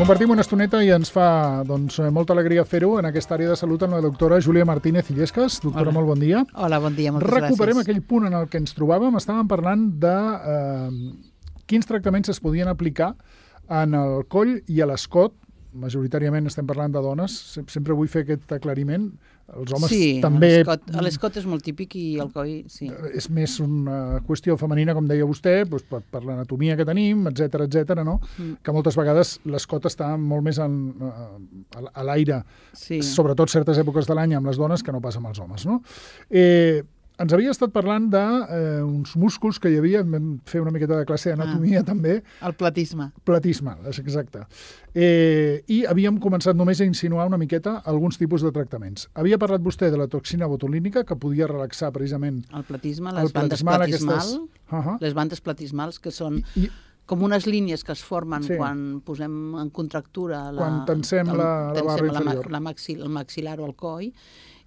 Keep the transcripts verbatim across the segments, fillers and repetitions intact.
Compartim una estoneta i ens fa doncs, molta alegria fer-ho en aquesta àrea de salut amb la doctora Júlia Martínez Illescas. Doctora, Hola. molt bon dia. Hola, bon dia, moltes Recuperem gràcies. aquell punt en el que ens trobàvem. Estàvem parlant de eh, quins tractaments es podien aplicar en el coll i a l'escot. Majoritàriament estem parlant de dones. Sempre vull fer aquest aclariment. Els homes sí, també... Sí, l'escot és molt típic i el coll, sí. És més una qüestió femenina, com deia vostè, doncs per, per l'anatomia que tenim, etcètera, etcètera, no? Mm. Que moltes vegades l'escot està molt més en, a, a l'aire, sí. Sobretot certes èpoques de l'any amb les dones que no passa amb els homes, no? Eh, ens havia estat parlant d'uns eh, músculs que hi havia, vam fer una miqueta de classe d'anatomia ah, també. El platisme. Platisme, exacte. Eh, I havíem començat només a insinuar una miqueta alguns tipus de tractaments. Havia parlat vostè de la toxina botulínica, que podia relaxar precisament... El platisme, les bandes platismal, aquestes... uh-huh. les bandes platismals, que són... I, com unes línies que es formen sí. quan posem en contractura la, quan tensem el, la, la barra inferior. La, la maxil, el maxil·lar o el coll,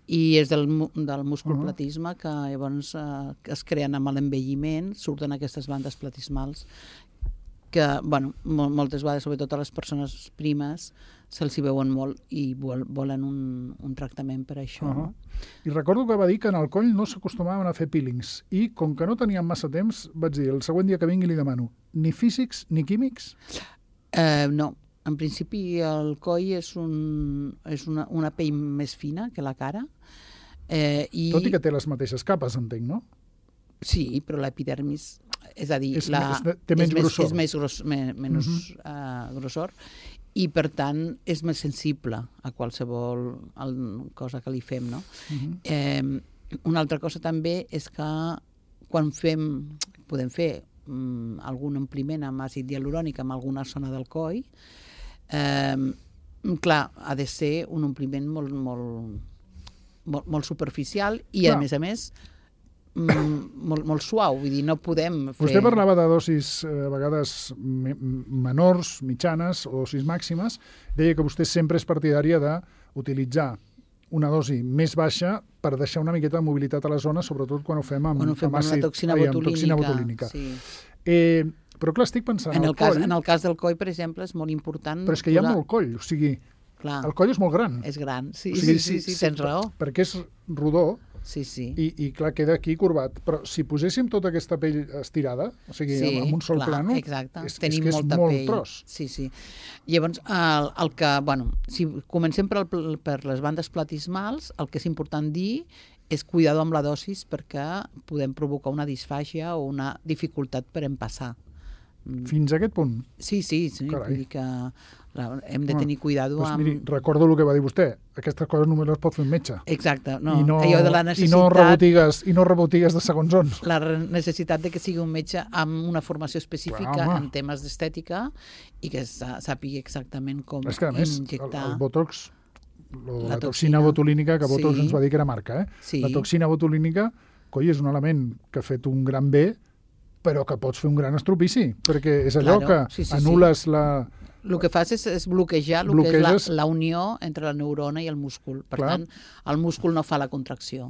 i és del, del múscul uh-huh. platisme que llavors eh, es creen amb l'envelliment, surten aquestes bandes platismals que, bueno, moltes vegades, sobretot a les persones primes, se'ls hi veuen molt i vol, volen un, un tractament per això. Uh-huh. No? I recordo que va dir que en el coll no s'acostumaven a fer peelings i, com que no teníem massa temps, vaig dir, el següent dia que vingui li demano, ni físics ni químics? Eh, no. En principi, el coll és, un, és una, una pell més fina que la cara. Eh, i... Tot i que té les mateixes capes, entenc, no? Sí, però l'epidermis, és a dir, és, la, és, té menys és grossor. És més, gros, més, menys uh-huh. uh, grossor i, per tant, és més sensible a qualsevol cosa que li fem, no? Uh-huh. Eh, una altra cosa també és que quan fem, podem fer um, algun ompliment amb àcid hialurònic en alguna zona del coll, Eh, clar, ha de ser un ompliment molt, molt, molt, molt superficial i, clar. a més a més, m- molt, molt suau. Vull dir, no podem fer... Vostè parlava de dosis eh, a vegades me- menors, mitjanes o dosis màximes. Deia que vostè sempre és partidària d'utilitzar una dosi més baixa per deixar una miqueta de mobilitat a la zona, sobretot quan ho fem amb, quan ho fem amb, àcid, amb la toxina ai, botulínica. amb toxina botulínica. Sí. Eh, però clar, estic pensant... En el, el cas, coll, en el cas del coll, per exemple, és molt important... Però és que hi ha posar... molt coll, o sigui, clar. El coll és molt gran. És gran, sí, o sigui, sí, sí, sí, sí, tens raó. Perquè és rodó sí, sí. I, i clar, queda aquí corbat. Però si poséssim tota aquesta pell estirada, o sigui, sí, amb un sol clar, plano, exacte. és, Tenim és que és molta molt pell. tros. Sí, sí. Llavors, el, el que, bueno, si comencem per, el, per les bandes platismals, el que és important dir és cuidar amb la dosis perquè podem provocar una disfàgia o una dificultat per empassar. Fins a aquest punt? Sí, sí, sí. Vull dir que la, hem de tenir cuidado doncs amb... Miri, recordo el que va dir vostè. Aquestes coses només les pot fer un metge. Exacte. No, I no, allò de la necessitat... I no rebotigues, i no rebotigues de segons on. La necessitat de que sigui un metge amb una formació específica Clar, en temes d'estètica i que sàpiga exactament com és que, a més, injectar... El, el Botox, lo, la, la toxina, toxina botulínica, que Botox sí. ens va dir que era marca, eh? Sí. La toxina botulínica, coi, és un element que ha fet un gran bé, però que pots fer un gran estropici, perquè és allò claro, que sí, sí, anul·les sí. la... El que fas és, és bloquejar el Bloqueges... que és la, la unió entre la neurona i el múscul. Per Clar. tant, el múscul no fa la contracció.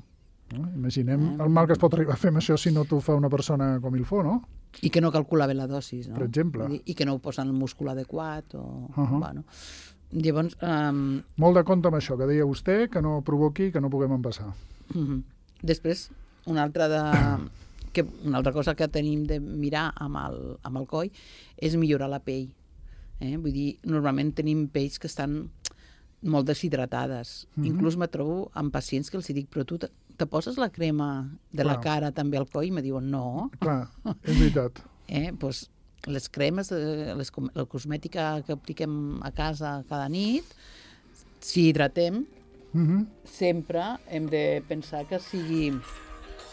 No? Imaginem eh? el mal que es pot arribar a fer amb això si no t'ho fa una persona com il fo, no? I que no calcula bé la dosis, no? Per exemple. I que no ho posa en el múscul adequat. O... Uh-huh. Bueno. Llavors... Um... Molt de compte amb això, que deia vostè, que no provoqui que no puguem empassar. Uh-huh. Després, una altra de... que una altra cosa que tenim de mirar amb el, amb el coll és millorar la pell. Eh? Vull dir, normalment tenim pells que estan molt deshidratades. Mm-hmm. Inclús me trobo amb pacients que els dic, però tu te, te poses la crema de Clar. la cara també al coll? I me diuen, no. Clar, és veritat. Eh? Pues, les cremes, les, la cosmètica que apliquem a casa cada nit, si hidratem, mm-hmm. sempre hem de pensar que sigui...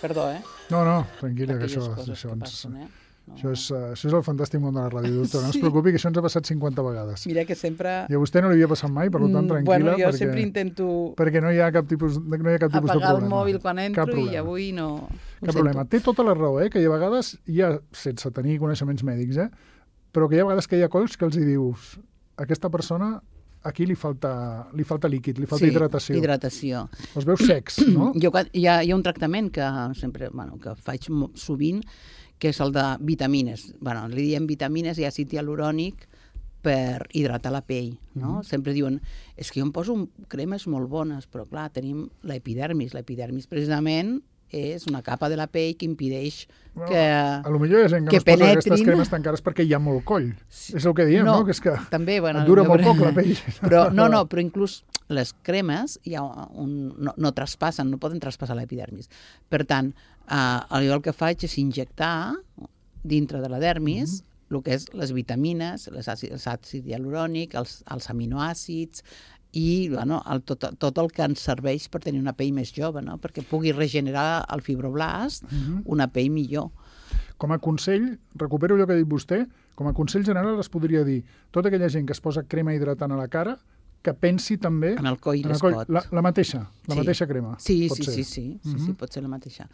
Perdó, eh? No, no, tranquil·la, que això, això, que ens, passen, eh? no. això, és, això és el fantàstic món de la ràdio, doctora. No sí. es preocupi, que això ens ha passat cinquanta vegades. Mira que sempre... I a vostè no li havia passat mai, per tant, tranquil·la. Bueno, jo perquè, sempre intento... Perquè no hi ha cap tipus, no hi ha cap tipus de problema. Apagar el mòbil quan entro i avui no... Cap problema. Té tota la raó, eh? Que hi ha vegades, hi ha, sense tenir coneixements mèdics, eh? Però que hi ha vegades que hi ha colls que els hi dius aquesta persona... Aquí li falta, li falta líquid, li falta sí, hidratació. hidratació. Els veus secs, no? Jo, hi, ha, hi ha un tractament que sempre, bueno, que faig sovint, que és el de vitamines. Bueno, li diem vitamines i àcid hialurònic per hidratar la pell, no? Mm. Sempre diuen, és que jo em poso cremes molt bones, però clar, tenim l'epidermis. L'epidermis precisament és una capa de la pell que impedeix bueno, que a lo millor hi ha gent que, que no es posa aquestes cremes tan cares perquè hi ha molt coll. Sí. És el que diem, no? no? Que és que també, bueno, dura molt però... poc la pell. Però, no, no, però inclús les cremes hi ha un, no, no traspassen, no poden traspassar l'epidermis. Per tant, eh, jo el que faig és injectar dintre de la dermis mm-hmm. el que és les vitamines, les àcid, els àcid hialurònic, els, els aminoàcids, i bueno, el, tot, tot el que ens serveix per tenir una pell més jove, no? Perquè pugui regenerar el fibroblast uh-huh. una pell millor. Com a consell, recupero allò que ha dit vostè, com a consell general es podria dir tota aquella gent que es posa crema hidratant a la cara que pensi també... En el coll i l'escot. La, la mateixa, la sí. mateixa crema. Sí, pot sí, ser. sí, sí, sí, uh-huh. sí, pot ser la mateixa.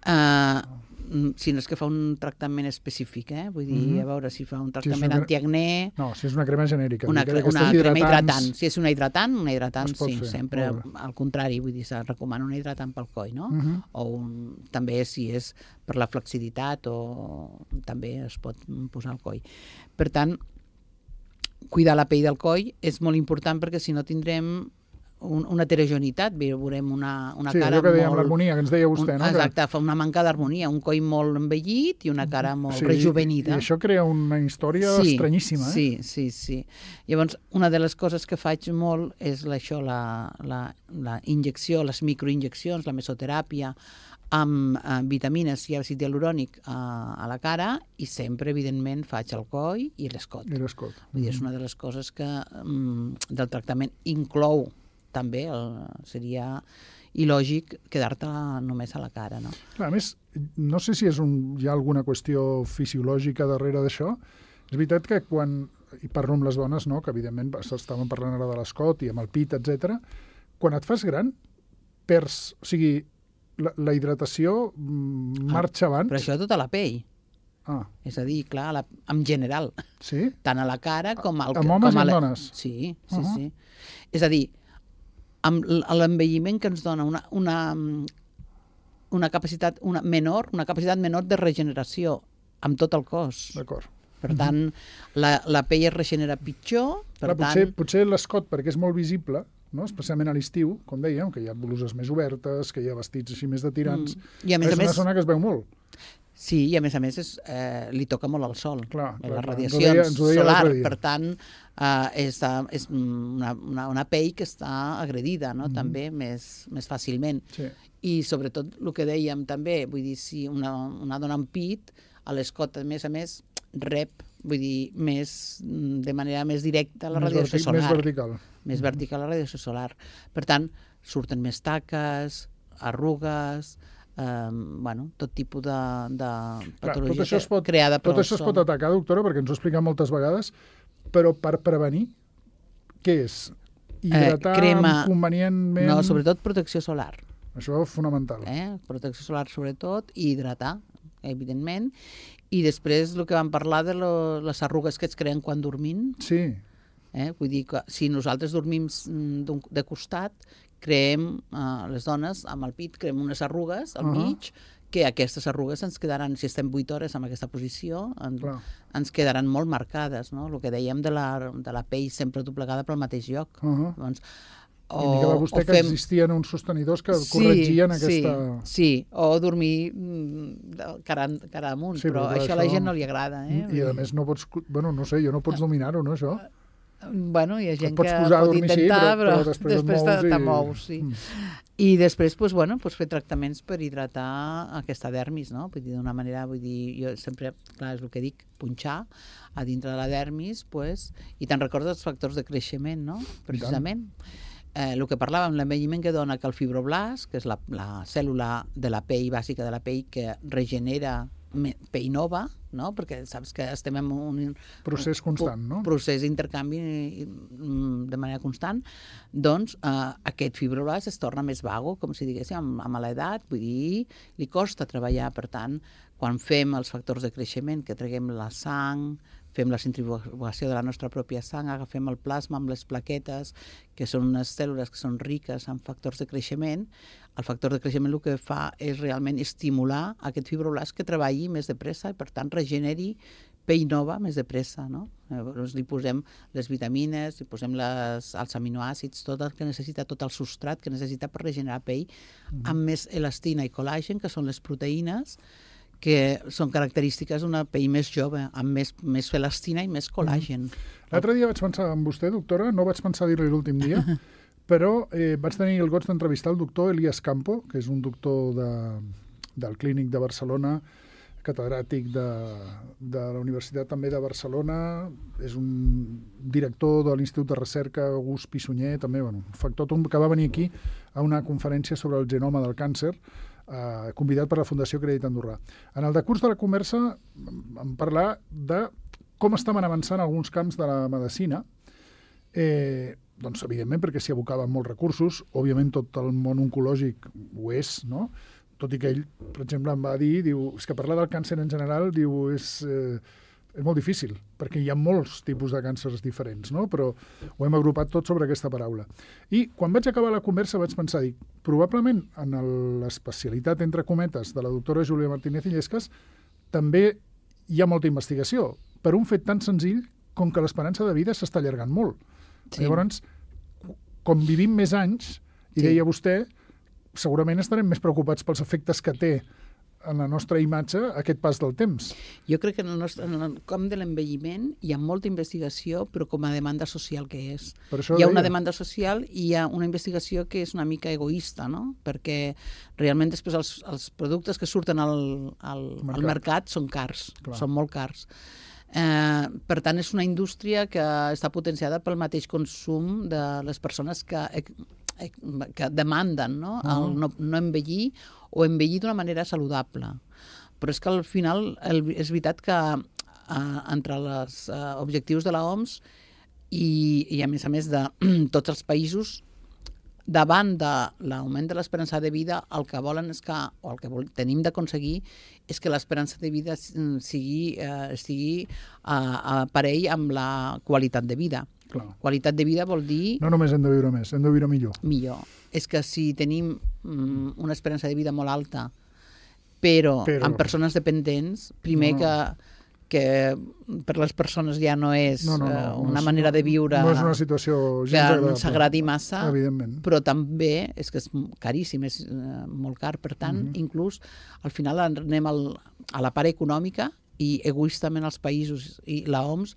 Uh, si no és que fa un tractament específic, eh? Vull dir, uh-huh. a veure si fa un tractament si una... antiacné... No, si és una crema genèrica. Una, cre una crema hidratant. Si és una hidratant, una hidratant, sí, fer. sempre al contrari, vull dir, se recomana una hidratant pel coll, no? Uh-huh. O un, també si és per la flexibilitat o també es pot posar al coll. Per tant, cuidar la pell del coll és molt important perquè si no tindrem un, una heterogeneïtat, veurem una, una sí, cara molt... Sí, allò que dèiem, l'harmonia, que ens deia vostè, un, no? Exacte, fa una manca d'harmonia, un coll molt envellit i una cara molt sí, rejuvenida. I això crea una història sí, estranyíssima, eh? Sí, sí, sí. Llavors, una de les coses que faig molt és la, això, la, la, la injecció, les microinjeccions, la mesoteràpia, amb eh, vitamines i àcid hialurònic eh, a la cara i sempre, evidentment, faig el coll i l'escot. I l'escot. Vull dir, és una de les coses que mm, del tractament inclou també, el, seria il·lògic quedar-te només a la cara, no? Clar, a més, no sé si és un, hi ha alguna qüestió fisiològica darrere d'això. És veritat que quan, i parlo amb les dones, no?, que evidentment estàvem parlant ara de l'escot i amb el pit, etcètera, quan et fas gran, perds, o sigui, La, la hidratació marxa abans. Però això tota la pell. Ah. És a dir, clar, la, en general. Sí? Tant a la cara com al... Amb homes com i amb dones? Sí, sí, uh-huh. sí. És a dir, amb l'envelliment que ens dona una, una, una capacitat una menor, una capacitat menor de regeneració amb tot el cos. D'acord. Per tant, la, la pell es regenera pitjor. Per clar, tant... potser, potser l'escot, perquè és molt visible, no? Especialment a l'estiu, com dèiem, que hi ha bluses més obertes, que hi ha vestits així més de tirants. Mm. I a més és a una més... zona que es veu molt. Sí, i a més a més és, eh, li toca molt al sol, clar, la clar, radiació clar. Ens ho deia, ens ho deia solar. Per tant, eh, és, és una, una, una pell que està agredida, no? Mm. també més, més fàcilment. Sí. I sobretot el que dèiem també, vull dir, si una, una dona amb pit, a l'escot, a més a més, rep, vull dir, més, de manera més directa la més radiació solar. Més vertical. Més vertical la radiació solar. Per tant, surten més taques, arrugues, eh, bueno, tot tipus de, de patologia Clar, tot això es pot, creada per tot això es pot atacar, doctora, perquè ens ho ha explicat moltes vegades, però per prevenir, què és? Hidratar eh, crema, convenientment... No, sobretot protecció solar. Això és fonamental. Eh? Protecció solar sobretot i hidratar, evidentment. I després el que vam parlar de lo, les arrugues que es creen quan dormim. Sí. Eh? Vull dir que si nosaltres dormim de costat, creem, eh, les dones, amb el pit, creem unes arrugues al uh -huh. mig, que aquestes arrugues ens quedaran, si estem vuit hores en aquesta posició, en, ens quedaran molt marcades, no? El que dèiem de la, de la pell sempre doblegada pel mateix lloc. Uh -huh. Doncs, o, indicava vostè que fem... existien uns sostenidors que sí, corregien aquesta... Sí, sí, o dormir cara, cara amunt, sí, però, però això a la gent no li agrada. Eh? I a més no pots, bueno, no sé, jo no pots dominar-ho, no, això? Bueno, hi ha gent que pot dormir, intentar, sí, però, però, però després, després te, i... te mous. Sí. Mm. I després, doncs, bueno, doncs fer tractaments per hidratar aquesta dermis, no? Vull dir, d'una manera, vull dir, jo sempre, clar, és el que dic, punxar a dintre de la dermis, doncs, i te'n recordes els factors de creixement, no? Precisament. Eh, el que parlàvem, l'envelliment que dona que el fibroblast, que és la, la cèl·lula de la pell, bàsica de la pell, que regenera pell nova, no? Perquè saps que estem en un procés constant, no? procés d'intercanvi de manera constant, doncs eh, aquest fibroblast es torna més vago, com si diguéssim, amb, amb l'edat, vull dir, li costa treballar. Per tant, quan fem els factors de creixement, que traguem la sang, fem la centrifugació de la nostra pròpia sang, agafem el plasma amb les plaquetes, que són unes cèl·lules que són riques en factors de creixement, el factor de creixement el que fa és realment estimular aquest fibroblast que treballi més de pressa i, per tant, regeneri pell nova més de pressa, no? Llavors li posem les vitamines, li posem les, els aminoàcids, tot el que necessita, tot el substrat que necessita per regenerar pell, mm. amb més elastina i col·làgen, que són les proteïnes, que són característiques d'una pell més jove, amb més, més elastina i més col·làgen. Mm. L'altre dia vaig pensar en vostè, doctora, no vaig pensar dir-li l'últim dia, però eh, vaig tenir el goig d'entrevistar el doctor Elias Campo, que és un doctor de, del Clínic de Barcelona, catedràtic de, de la Universitat també de Barcelona, és un director de l'Institut de Recerca August Pi Sunyer, també, bueno, factòtum, que va venir aquí a una conferència sobre el genoma del càncer, eh, convidat per la Fundació Crèdit Andorrà. En el decurs de la conversa vam parlar de com estaven avançant alguns camps de la medicina, eh, doncs evidentment perquè s'hi abocaven molts recursos, òbviament tot el món oncològic ho és, no?, tot i que ell, per exemple, em va dir, diu, és que parlar del càncer en general, diu, és, eh, és molt difícil, perquè hi ha molts tipus de càncers diferents, no? Però ho hem agrupat tot sobre aquesta paraula. I quan vaig acabar la conversa vaig pensar, dic, probablement en l'especialitat, entre cometes, de la doctora Júlia Martínez Illescas, també hi ha molta investigació, per un fet tan senzill com que l'esperança de vida s'està allargant molt. Sí. Llavors, com vivim més anys, i sí. deia vostè, segurament estarem més preocupats pels efectes que té en la nostra imatge aquest pas del temps. Jo crec que en el, nostre, en el camp de l'envelliment hi ha molta investigació, però com a demanda social que és. Hi ha deia. una demanda social i hi ha una investigació que és una mica egoista, no? Perquè realment després els, els productes que surten al, al, mercat. al mercat són cars, Clar. són molt cars. Eh, per tant, és una indústria que està potenciada pel mateix consum de les persones que que demanden, no? El no, no envellir o envellir d'una manera saludable. Però és que al final el, és veritat que eh, entre els eh, objectius de l'O M S i, i a més a més de tots els països, davant de l'augment de l'esperança de vida, el que volen és que, o el que vol, tenim d'aconseguir és que l'esperança de vida sigui, eh, estigui a, a parell amb la qualitat de vida. Clar. Qualitat de vida vol dir... No només hem de viure més, hem de viure millor. Millor. És que si tenim mm, una esperança de vida molt alta, però, però... amb persones dependents, primer no, no. que que per les persones ja no és no, no, no, uh, una no és, manera de viure no és una situació gens que ens agradi massa, evidentment. Però també és que és caríssim, és uh, molt car, per tant, uh-huh. inclús al final anem al, a la part econòmica i egoistament els països i l'O M S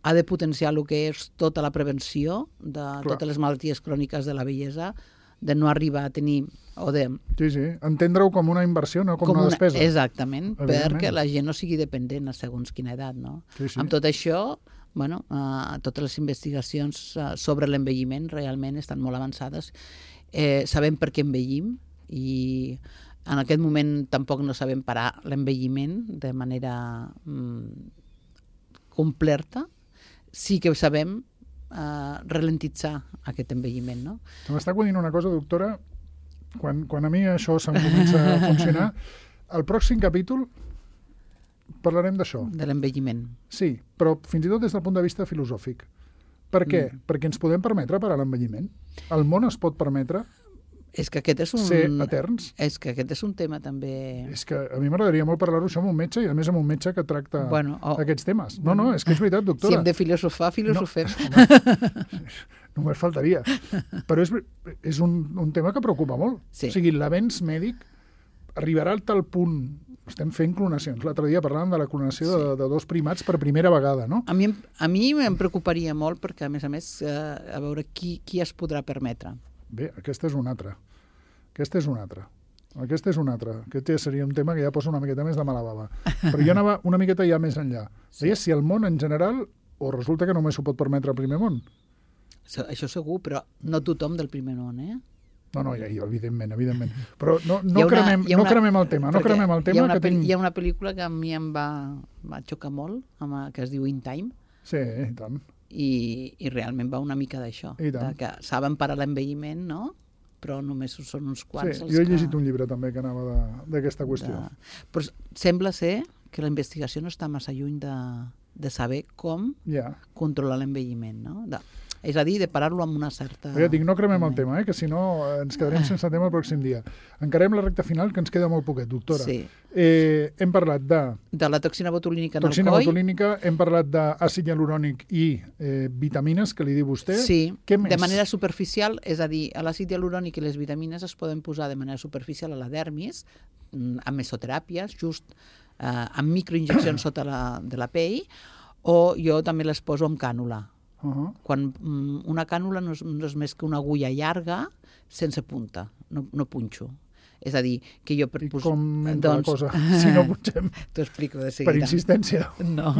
ha de potenciar el que és tota la prevenció de Clar. totes les malalties cròniques de la vellesa, de no arribar a tenir o de... Sí, sí, entendre-ho com una inversió, no com, com una despesa. Exactament, perquè la gent no sigui dependent a segons quina edat, no? Sí, sí. Amb tot això, bueno, uh, totes les investigacions uh, sobre l'envelliment realment estan molt avançades. Eh, sabem per què envellim i en aquest moment tampoc no sabem parar l'envelliment de manera mm, completa. Sí que sabem uh, ralentitzar aquest envelliment, no? M'està acudint una cosa, doctora, quan, quan a mi això se'm comença a funcionar, al pròxim capítol parlarem d'això. De l'envelliment. Sí, però fins i tot des del punt de vista filosòfic. Per què? Mm. Perquè ens podem permetre parar l'envelliment? El món es pot permetre és que aquest és un... ser eterns? És que aquest és un tema també... És que a mi m'agradaria molt parlar-ho això amb un metge i a més amb un metge que tracta bueno, oh, aquests temes. No, no, és que és veritat, doctora. Si hem de filosofar, filosofem. No, home, només faltaria. Però és, és un, un tema que preocupa molt. Sí. O sigui, l'avenç mèdic arribarà al tal punt... Estem fent clonacions. L'altre dia parlàvem de la clonació sí. de, de dos primats per primera vegada, no? A mi, a mi em preocuparia molt perquè, a més a més, eh, a veure qui, qui es podrà permetre. Bé, aquesta és una altra. Aquesta és una altra. Aquesta és una altra. Aquest ja seria un tema que ja posa una miqueta més de mala bava. Però jo anava una miqueta ja més enllà. Sí. Deia si el món en general, o resulta que només s'ho pot permetre el primer món? Això segur, però no tothom del primer món, eh? No, no, ja, evidentment, evidentment. Però no, no, una, cremem, una, no cremem el tema. No cremem el tema hi, ha una, que tinc... hi ha una pel·lícula que a mi em va, va xocar molt, amb, que es diu In Time. Sí, i tant. I, i realment va una mica d'això. De que saben parar l'envelliment, no? Però només són uns quants. Sí, jo he llegit que... un llibre també que anava d'aquesta qüestió. De... Però sembla ser que la investigació no està massa lluny de, de saber com yeah. controlar l'envelliment, no? De... és a dir, de parar-lo amb una certa... Ja dic, no cremem el tema, eh? Que si no ens quedarem sense tema el pròxim dia. Encarem la recta final, que ens queda molt poquet, doctora. Sí. Eh, hem parlat de... De la toxina botulínica en toxina el coll. botulínica, hem parlat d'àcid hialurònic i eh, vitamines, que li diu vostè. Sí, Què més? De manera superficial, és a dir, l'àcid hialurònic i les vitamines es poden posar de manera superficial a la dermis, amb mesoteràpies, just eh, amb microinjeccions sota la, de la pell, o jo també les poso amb cànula. Uh -huh. Quan mm, una cànula no és, no és més que una agulla llarga sense punta, no, no punxo. És a dir, que jo... Per, I pos... com entra doncs... la cosa, si no punxem? T'ho explico de seguida. Per insistència? No,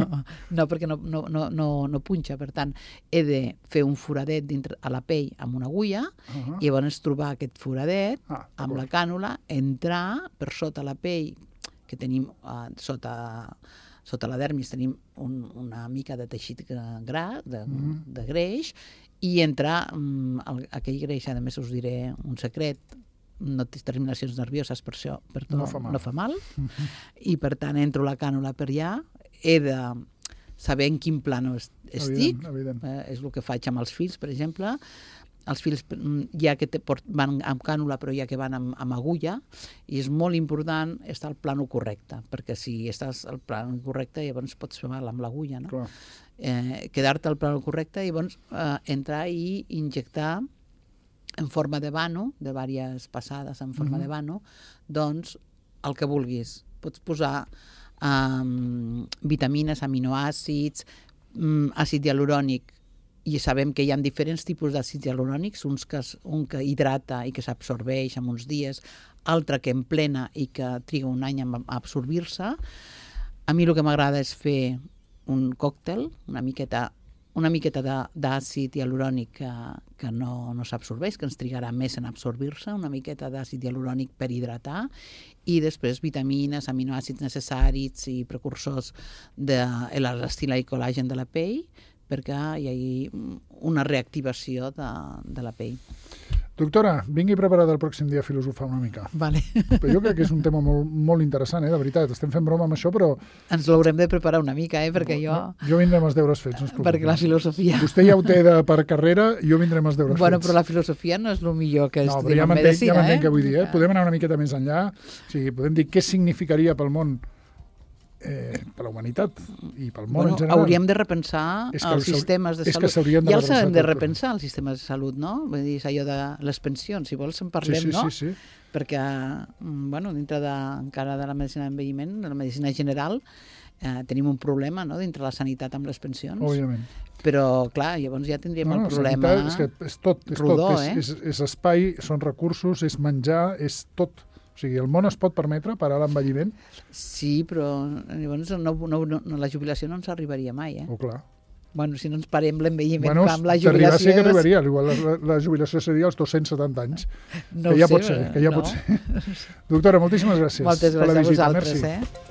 no perquè no, no, no, no, no punxa. Per tant, he de fer un foradet dintre, a la pell amb una agulla, uh -huh. i llavors trobar aquest foradet ah, amb la cànula, entrar per sota la pell, que tenim uh, sota... Sota la dermis tenim un, una mica de teixit gras, de, mm. de greix, i entrar um, el, aquell greix, a més us diré un secret, no té terminacions nervioses, per això per tot, no fa mal, no fa mal. Mm-hmm. I per tant entro la cànula per allà, he de saber en quin plano estic, evident, evident. Eh, és el que faig amb els fils, per exemple. Els fils ja que te, van amb cànula, però ja que van amb, amb agulla, i és molt important estar al plano correcte, perquè si estàs al plano correcte, llavors pots fer mal amb l'agulla, no? Eh, quedar-te al plano correcte, i llavors eh, entrar i injectar en forma de vano, de diverses passades en forma mm-hmm. de vano, doncs el que vulguis. Pots posar um, vitamines, aminoàcids, um, àcid hialurònic, i sabem que hi ha diferents tipus d'àcids hialurònics, uns que, un que hidrata i que s'absorbeix en uns dies, altre que emplena i que triga un any a absorbir-se. A mi el que m'agrada és fer un còctel, una miqueta, una miqueta d'àcid hialurònic que, que no, no s'absorbeix, que ens trigarà més en absorbir-se, una miqueta d'àcid hialurònic per hidratar, i després vitamines, aminoàcids necessaris i precursors de l'elastina i col·làgen de la pell, perquè hi hagi una reactivació de, de la pell. Doctora, vingui preparada el pròxim dia a filosofar una mica. Vale. Però jo crec que és un tema molt, molt interessant, eh? De veritat. Estem fent broma amb això, però... Ens l'haurem de preparar una mica, eh? Perquè jo... No, jo vindré amb els deures fets, no es preocupi. Perquè la filosofia... Vostè ja ho té de, per carrera, jo vindré amb els deures bueno, fets. Bueno, però la filosofia no és el millor que no, estudim ja en medicina, ja eh? Ja què vull dir, eh? Podem anar una miqueta més enllà. O sigui, podem dir què significaria pel món Eh, per la humanitat i pel món bueno, en general. Hauríem de repensar els sistemes de és salut. Que de ja els hem de repensar, els sistemes de salut, no? Vull dir, és allò de les pensions, si vols en parlem, sí, sí, no? Sí, sí. Perquè, bueno, dintre de, encara de la medicina d'envelliment, de la medicina general, eh, tenim un problema, no?, dintre la sanitat amb les pensions. Òbviament. Però, clar, llavors ja tindríem no, no, el problema és que és tot, és rodó, tot. eh? És, és, és espai, són recursos, és menjar, és tot. O sigui, el món es pot permetre parar l'envelliment? Sí, però llavors no, no, no, la jubilació no ens arribaria mai, eh? Oh, clar. Bueno, si no ens parem l'envelliment bueno, amb la jubilació... Sí que arribaria, igual la, la jubilació seria als dos-cents setanta anys. No que ja sé, pot ser, que ja no. pot ser. Doctora, moltíssimes gràcies. Moltes gràcies a visita. vosaltres, Merci. eh?